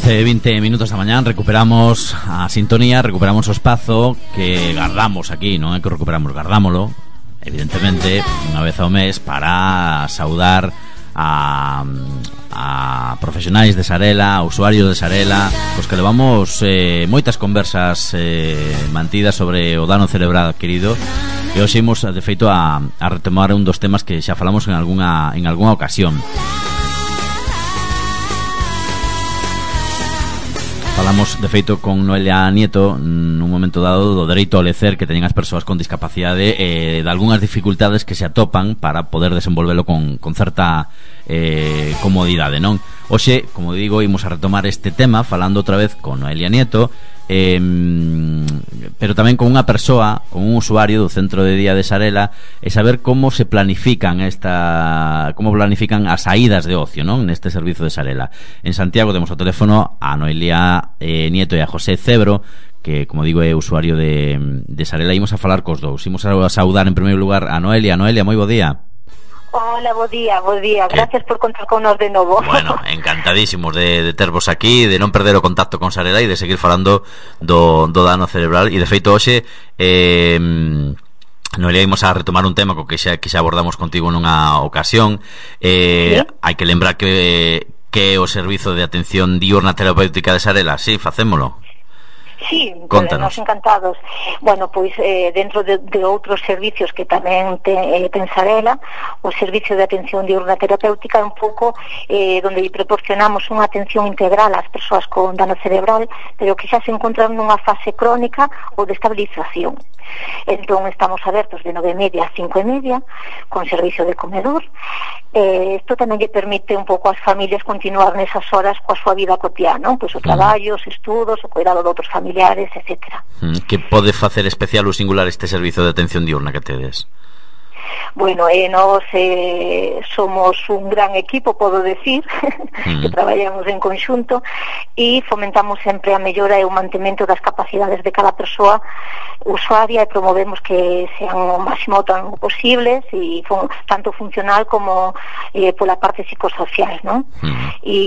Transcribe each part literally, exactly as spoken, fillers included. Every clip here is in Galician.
once e vinte minutos da mañán. Recuperamos a sintonía, recuperamos o espazo que guardamos aquí, non é que recuperamos, guardámolo evidentemente unha vez ao mes para saudar a, a profesionais de Sarela, a usuarios de Sarela, cos que levamos eh, moitas conversas eh, mantidas sobre o dano cerebral adquirido. E hoxe imos, de feito, a, a retomar un dos temas que xa falamos en algunha, en algunha ocasión. Falamos, de feito, con Noelia Nieto nun momento dado do dereito ao lecer que teñen as persoas con discapacidade e eh, de algunhas dificultades que se atopan para poder desenvolvelo con, con certa eh, comodidade, non? Hoxe, como digo, imos a retomar este tema falando outra vez con Noelia Nieto, eh, pero tamén con unha persoa, con un usuario do centro de día de Sarela, e saber como se planifican esta, como planifican as saídas de ocio, non? Neste servizo de Sarela. En Santiago temos ao teléfono a Noelia eh, Nieto e a José Cebro, que, como digo, é usuario de, de Sarela. Imos a falar cos dous. Imos a saudar en primeiro lugar a Noelia. Noelia, moi bo día. Hola, bo día, bo día. Gracias eh, por contar con nos de novo. Bueno, encantadísimos de, de tervos aquí, de non perder o contacto con Sarela e de seguir falando do, do dano cerebral. E de feito hoxe eh, Noelia, imos a retomar un tema co que xa, que xa abordamos contigo nunha ocasión. eh, ¿Sí? Hai que lembrar que, que o servizo de atención diurna terapéutica de Sarela, sí, facémolo. Sí, nos encantados. Bueno, pois eh, dentro de, de outros servicios que tamén te, eh, ten Sarela, o servicio de atención diurna terapéutica é un pouco eh, donde proporcionamos unha atención integral ás persoas con dano cerebral, pero que xa se encontran nunha fase crónica ou de estabilización. Entón estamos abertos de nove e media a cinco e media con servicio de comedor. Eh, isto tamén lle permite un pouco ás familias continuar nesas horas coa súa vida cotidiana, non? Pois o traballo, os estudos, o cuidado de outros familiares, etcétera. Que pode facer especial ou singular este servizo de atención diurna que tedes? Bueno, eh, nos eh, somos un gran equipo, podo decir, mm. que traballamos en conxunto e fomentamos sempre a mellora e o mantemento das capacidades de cada persoa usuaria e promovemos que sean o máximo tan posibles e fun, tanto funcional como eh, pola parte psicosocial, ¿no? Mm. E,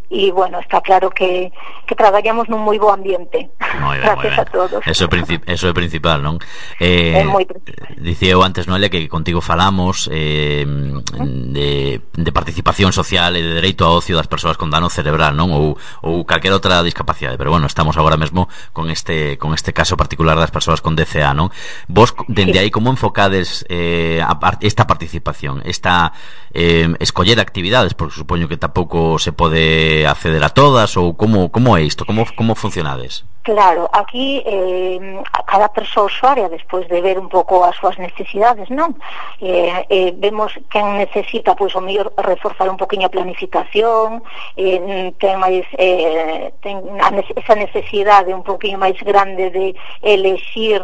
e bueno, está claro que, que traballamos nun moi bo ambiente. Moi ben, gracias moi ben. A todos. Eso é, princip- eso é principal, non? Eh, é moi principal. Dicía eu antes, Noelia, que contigo falamos eh, de, de participación social e de dereito ao ocio das persoas con dano cerebral, non? Ou, ou calquera outra discapacidade, pero bueno, estamos agora mesmo con este con este caso particular das persoas con D C A, non? Vos, dende aí, como enfocades eh, a, esta participación, esta eh, escoller actividades, porque supoño que tampouco se pode acceder a todas, ou como, como é isto, como, como funcionades? Claro, aquí eh, a cada persoa usuaria, despois de ver un pouco as súas necesidades, non? Eh, eh, vemos quen necesita, pois, o mellor reforzar un poquinho a planificación, eh, ten máis eh, ten a, esa necesidade un poquinho máis grande de elexir,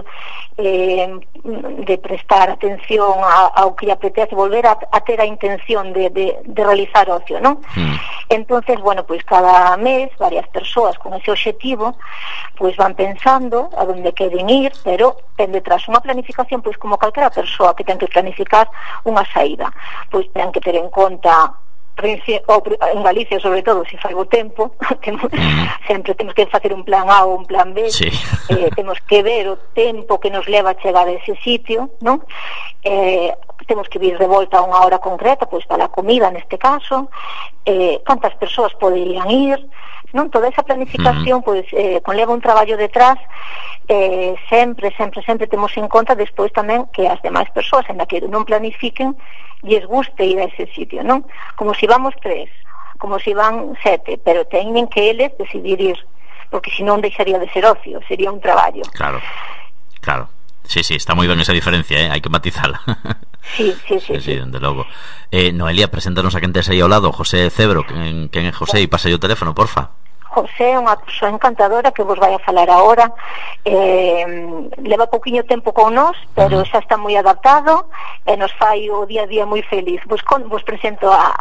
eh, de prestar atención a, ao que lle apetece, volver a, a ter a intención de, de, de realizar ocio, non? Mm. Entonces, bueno, pois cada mes varias persoas con ese obxectivo pois van pensando a onde queren ir, pero ten detrás unha planificación, pois como calquera persoa que ten que planificar unha saída, pois ten que ter en conta en Galicia, sobre todo, se fai o tempo, temos, sempre temos que facer un plan A ou un plan B, sí. eh, temos que ver o tempo que nos leva a chegar a ese sitio, non? Eh, temos que vir de volta a unha hora concreta, pois para a comida neste caso, eh, cantas persoas poderían ir, non? Toda esa planificación, uh-huh. pois, eh, conleva un traballo detrás, eh, sempre, sempre, sempre temos en conta despois tamén que as demais persoas, en la que non planifiquen, lles guste ir a ese sitio, non? Como se vamos tres, como se van sete, pero teñen que eles decidir ir, porque senón deixaría de ser ocio, sería un traballo. Claro, claro. Sí, sí, está moi ben esa diferencia, eh? Hai que matizala. Sí, sí, sí, sí, sí, dende logo. Eh, Noelia, preséntanos a quen tes aí ao lado, José Cebro, quen, quen é José, e pasa o teléfono, porfa. José é unha persoa encantadora que vos vai a falar agora, eh, leva pouquiño tempo con nós, pero xa está moi adaptado e nos fai o día a día moi feliz. Vos, con, vos presento a,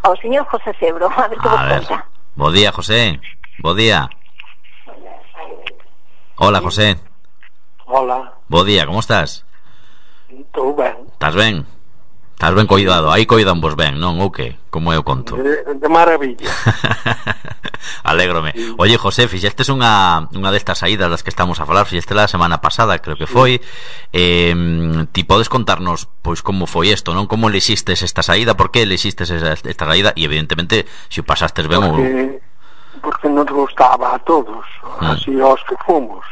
ao señor José Cebro, a ver que vos conta. Bo día, José. Bo día. Hola, José. Hola. Bo día, como estás? Todo ben. Estás ben? Estás ben coidado, aí coidan vos ben, non? Ou que? Como eu conto? De, de maravilla. Alégrome. Sí. Oye, José, fixestes unha, unha destas saídas das que estamos a falar, fixeste la semana pasada, creo que foi. Eh, ti podes contarnos, pois, como foi isto, non? Como elixistes esta saída, por que elixistes esta saída, e evidentemente, se o pasastes ben ou... Porque, porque nos gustaba a todos, mm. así aos que fomos.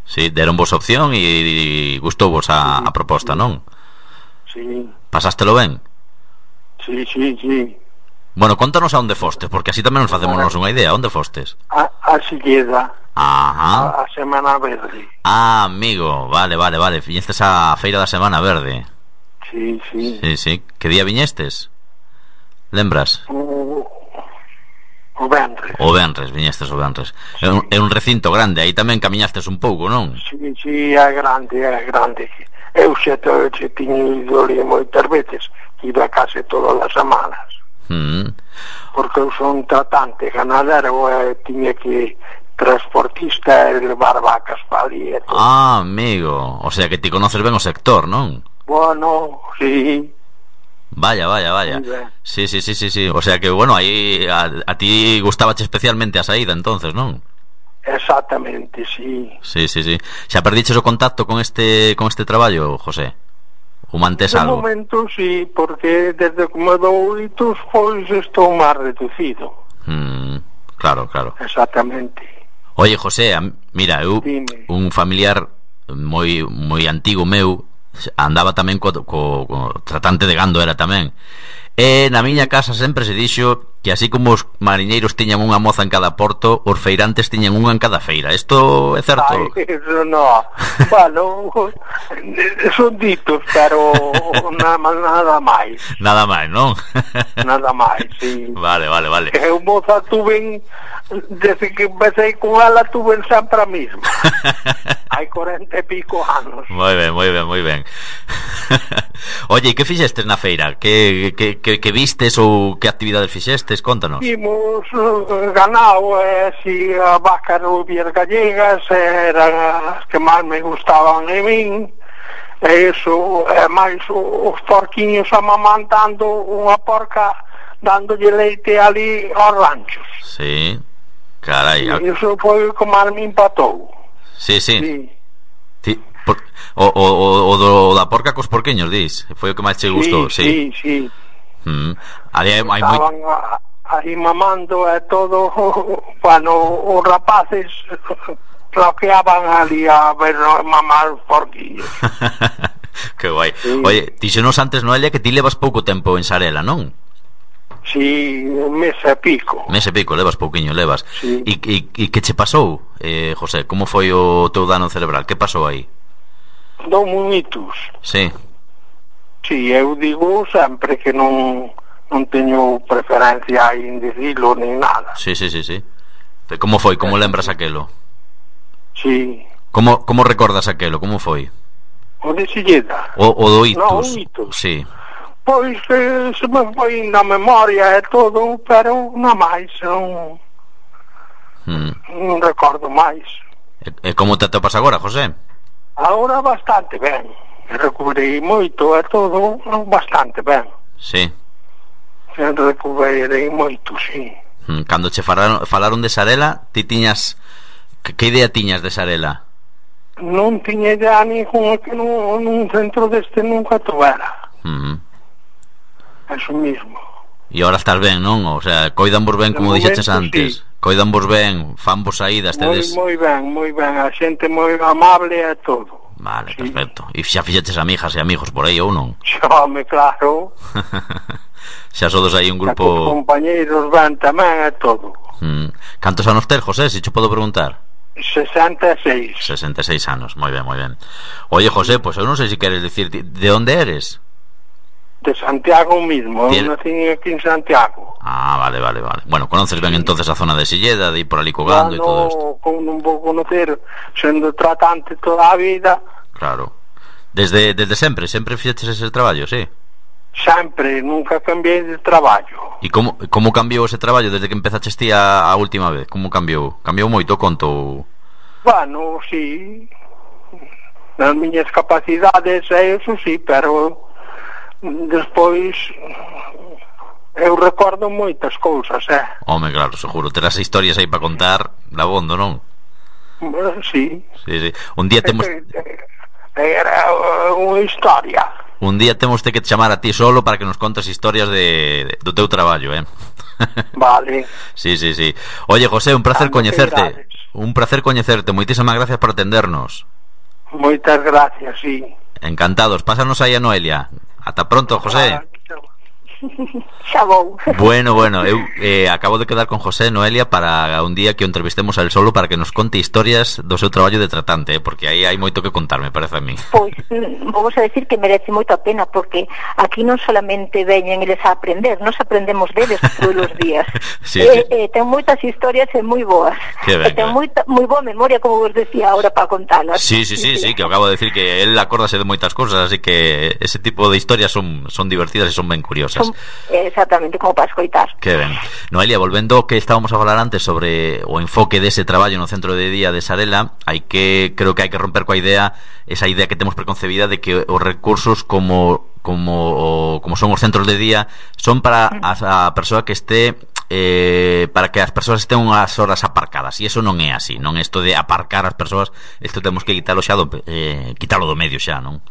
Sí, deron vos opción e gustou vos a, sí, a proposta, sí. Non? Sí. Pasástelo ben? Sí, sí, sí. Bueno, contanos a onde fostes, porque así tamén nos facémonos unha idea. Onde fostes? A, a Silleda. Ajá. A, a Semana Verde. Ah, amigo, vale, vale, vale. Viñestes a feira da Semana Verde. Sí, sí. Sí, sí. Que día viñestes? Lembras? O, o Benres. O Benres, viñestes o Benres. Sí. É, un, é un recinto grande, aí tamén camiñastes un pouco, non? Sí, sí, é grande, é grande. Eu xe, xe tiño ido ali moitas veces, iba a case todas as semanas. Mm. Porque eu son tratante ganadero e tiña que transportista e levar vacas para ali. Ah, amigo, o sea que ti conoces ben o sector, non? Bueno, sí. Vaya, vaya, vaya. Sí, sí, sí, sí, sí. O sea que, bueno, aí a, a ti gustabache especialmente a saída, entonces, non? Exactamente, sí. Sí, sí, sí. Xa perdiches o contacto con este con este traballo, José? O mantés algo? De momento sí, porque desde que me dou oitos, pois estou máis reducido. Mm, claro, claro. Exactamente. Oye, José, mira, eu Dime. Un familiar moi moi antigo meu andaba tamén co, co, co tratante de gando, era tamén. E na miña casa sempre se dixo que así como os mariñeiros tiñan unha moza en cada porto, os feirantes tiñan unha en cada feira. Isto é certo? Ay, eso no. Bueno, son ditos, pero nada, nada máis. Nada máis, non? Nada máis, sí. Vale, vale, vale. Eu moza tuve, desde que empecé con ela, tuve sempre a misma. Hai cuarenta e pico anos. Moi ben, moi ben, moi ben. Oye, e que fixestes na feira? Que, que, que, que vistes ou que actividades fixestes? Contanos. Vimos uh, ganado, e eh, si a vaca rubias gallegas eran as que máis me gustaban a min, e iso, e máis os porquiños amamantando unha porca dándolle leite ali aos ranchos. Sí, carai. E iso foi como a me empatou. Sí, sí, sí. Ti, por, o, o, o, o do, da porca cos porqueños, dis? Foi o que máis che gustou, sí. Sí, sí, sí. Mm. Ali hai, hai estaban moi... aí mamando e todo. Bueno, os rapaces floqueaban ali a ver mamar os porquillos. Que guai, sí. Oye, díxenos antes, Noelia, que ti levas pouco tempo en Sarela, non? Sí, un mes e pico. Mes e pico, levas pouquiño, levas. Sí. E, e, e que che pasou, eh, José? Como foi o teu dano cerebral? Que pasou aí? Dou munitos. Sí. Sí, eu digo sempre que non non teño preferencia en dicilo nin nada. Sí, sí, sí, sí. Como foi? Como lembras aquelo? Sí. Como, como recordas aquelo? Como foi? O de Silleda. O, o do Itus? No, o Itus. Sí. Pois eh, se me foi na memoria e todo, pero non máis, non, hmm. non recordo máis. E, e como te atopas agora, José? Agora bastante ben. Recuperei moito e todo, bastante ben. Sí. Recuperei moito, sí. Hmm. Cando che falaron, falaron de Sarela, ti tiñas... Que, que idea tiñas de Sarela? Non tiña idea ninguna, que nun, nun centro deste nunca tuvera. Hmm. Eso mismo. E agora estás ben, non? O sea, coidan vos ben, como dixeches antes. Sí. Coidan vos ben, fan vos saídas, tedes... Moi, moi ben, moi ben. A xente moi amable e todo. Vale, sí. Perfecto. E xa fixeches amigas e amigos por aí ou non? Xome, claro. Xa sodes aí un grupo... Os compañeiros van tamén e todo. Hmm. Cantos anos tes, José, se cho podo preguntar? sesenta e seis. sesenta e seis anos, moi ben, moi ben. Oye, José, pois pues eu non sei se queres dicir de onde eres? De Santiago mismo, Tien... eu nací aquí en Santiago. Ah, vale, vale, vale. Bueno, conoces ben entonces a zona de Silleda, de ir por ali cogando e no, todo isto. Como non vou conocer, sendo tratante toda a vida. Claro. Desde, desde sempre, sempre fixeches ese traballo, sí? Sempre, nunca cambiei de traballo. E como, como cambiou ese traballo desde que empezaches ti a, a última vez? Como cambiou? Cambiou moito, conto? Bueno, sí. Nas miñas capacidades, eso sí, pero despois eu recordo moitas cousas, eh? Home, claro, seguro, terás historias aí para contar dabondo, non? Sí. Sí, sí. Un día temos... Era unha historia. Un día temos que te chamar a ti solo para que nos contes historias de, de do teu traballo, eh? Vale. Sí, sí, sí. Oye, José, un placer Tanto coñecerte. Un placer coñecerte. Moitísimas gracias por atendernos. Moitas gracias, sí. Encantados. Pásanos aí a Noelia. Ata pronto, José. Ah, Xa vou. Bueno, bueno, eu eh, acabo de quedar con José, Noelia, para un día que o entrevistemos a él solo para que nos conte historias do seu traballo de tratante, eh, porque aí hai moito que contar, me parece a mí. Pois, vamos a decir que merece moito a pena, porque aquí non solamente veñen eles a aprender, nos aprendemos deles todos os días. Sí, eh, sí. eh, ten moitas historias e moi boas. Que ben, e ten que ben. moita, moi boa memoria, como vos decía ahora, para contalas. Sí, sí, sí, sí, que acabo de decir que él acórdase de moitas cosas, así que ese tipo de historias son, son divertidas e son ben curiosas. Son, exactamente, como para escoitar. Que ben. Noelia, volvendo ao que estábamos a falar antes sobre o enfoque dese traballo no centro de día de Sarela, hai que, creo que hai que romper coa idea, esa idea que temos preconcebida de que os recursos como como como son os centros de día son para a, a persoa que este eh, para que as persoas estén unhas horas aparcadas, e iso non é así, non é isto de aparcar as persoas, isto temos que quitalo xa do, eh, quitalo do medio xa, non?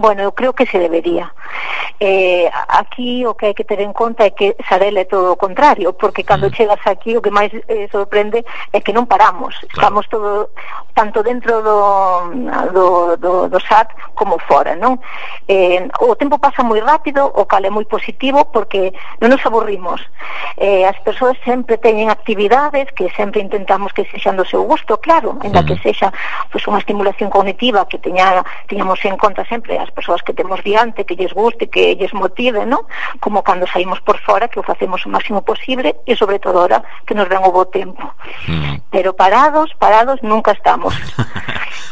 Bueno, eu creo que se debería. Eh, aquí o que hai que ter en conta é que Sarela é todo o contrario, porque cando mm. chegas aquí o que máis eh, sorprende é que non paramos. Claro. Estamos todo, tanto dentro do, do, do, do S A T como fora, non? Eh, o tempo pasa moi rápido, o cal é moi positivo, porque non nos aburrimos. Eh, as persoas sempre teñen actividades que sempre intentamos que sexan do seu gusto, claro, en la mm. que sexa pues, unha estimulación cognitiva que teña, teñamos en conta sempre as persoas que temos diante, que lles guste, que lles motive, ¿no? Como cando saímos por fora, que o facemos o máximo posible, e sobre todo ahora que nos ven o bo tempo. Mm. Pero parados, parados nunca estamos.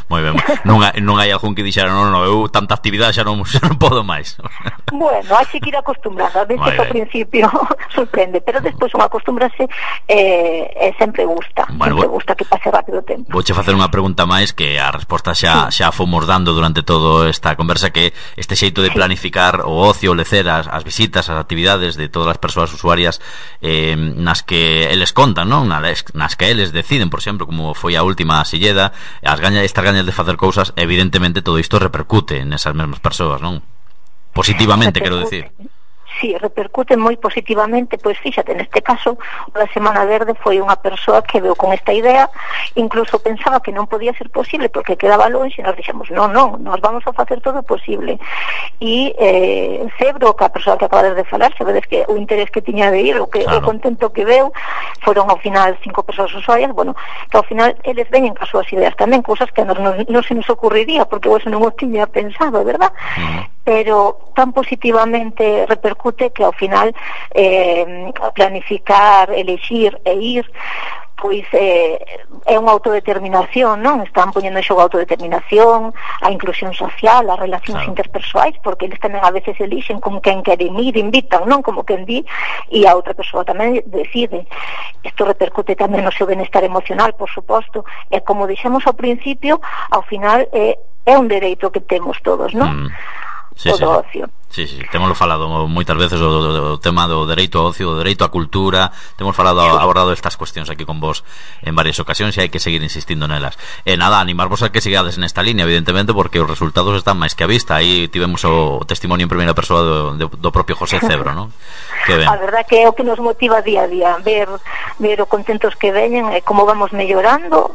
Moi ben. Non hai, non hai algún que dixera, non, non, eu tanta actividade xa non, xa non podo máis. Bueno, hai que ir acostumbrado. A veces ao principio sorprende, pero despois unha acostúmbrase e eh, sempre gusta. Bueno, sempre bo... gusta que pase rápido o tempo. Vouche facer unha pregunta máis que a resposta xa, sí. xa fomos dando durante todo esta conversa, que este xeito de planificar o ocio, o lecer, as, as visitas, as actividades de todas as persoas usuarias eh, nas que eles contan, non? Nas, nas que eles deciden, por exemplo, como foi a última Silleda, as gañas, estas gañas de facer cousas, evidentemente todo isto repercute nesas mesmas persoas, non? Positivamente, quero decir. Sí, repercute moi positivamente, pois fíxate, neste caso o da Semana Verde foi unha persoa que veu con esta idea, incluso pensaba que non podía ser posible porque quedaba longe, e nos dixemos, non, non, nos vamos a facer todo posible. E eh, Cebro, que a persoa que acabades de falar, sabedes que o interés que tiña de ir, o que claro. o contento que veu, foron ao final cinco persoas usuarias, bueno, que ao final eles veñen cas súas ideas tamén, cousas que non, non, non se nos ocurriría, porque vos non o tiña pensado, verdad? Uh-huh. Pero tan positivamente repercute que ao final eh, planificar, elexir e ir pois eh, é unha autodeterminación, non? Están poñendo en xogo a autodeterminación, a inclusión social, as relacións claro. interpersoais, porque eles tamén a veces elixen con quen queren ir, invitan, non? Como quen di, e a outra persoa tamén decide. Isto repercute tamén no seu benestar emocional, por suposto, e como dixemos ao principio, ao final eh, é un dereito que temos todos, non? Mm. Sí, sí, sí. Sí, sí, temoslo falado moitas veces o, o, o tema do dereito ao ocio, do dereito á cultura, temos falado, abordado estas cuestións aquí con vos en varias ocasións e hai que seguir insistindo nelas. E nada, animarvos a que sigades nesta línea, evidentemente, porque os resultados están máis que a vista. Aí tivemos o testimonio en primeira persoa do, do, do propio José Cebro, non? Que ben. A verdad que é o que nos motiva día a día, ver, ver o contentos que veñen e como vamos mellorando,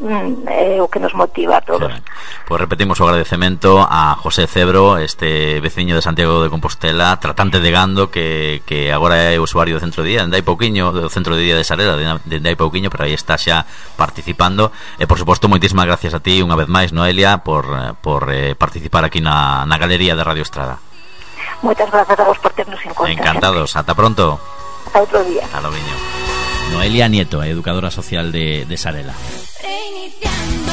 é o que nos motiva a todos. Pois repetimos o agradecemento a José Cebro, este veciño de Santiago de Compostela, tratante de gando, que, que agora é usuario do centro de día, dende hai pouquiño, do centro de día de Sarela, dende hai pouquiño, pero aí está xa participando. E por suposto, moitísimas gracias a ti unha vez máis, Noelia, por, por eh, participar aquí na, na galería de Radio Estrada. Moitas grazas a vos por ternos en conta. Encantados, ata pronto. Ata outro día. Ata loviño. Noelia Nieto, educadora social de, de Sarela. Reiniciando.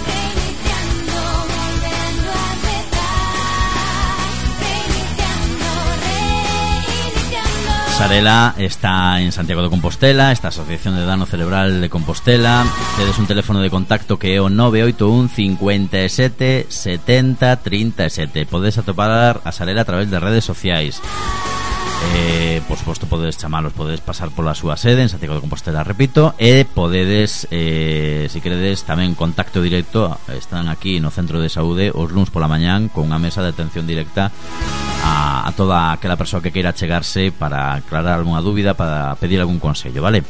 Reiniciando, Sarela está en Santiago de Compostela, esta Asociación de Dano Cerebral de Compostela. Tedes un teléfono de contacto que é o nove oito un cincuenta e sete setenta trinta e sete. Podes atopar a Sarela a través de redes sociais. Eh, por suposto podedes chamalos, podedes pasar pola súa sede en Santiago de Compostela, repito, e podedes, eh, se queredes, tamén contacto directo. Están aquí no Centro de Saúde os luns pola mañán con unha mesa de atención directa a, a toda aquela persoa que queira chegarse para aclarar algunha dúbida, para pedir algún consello, vale?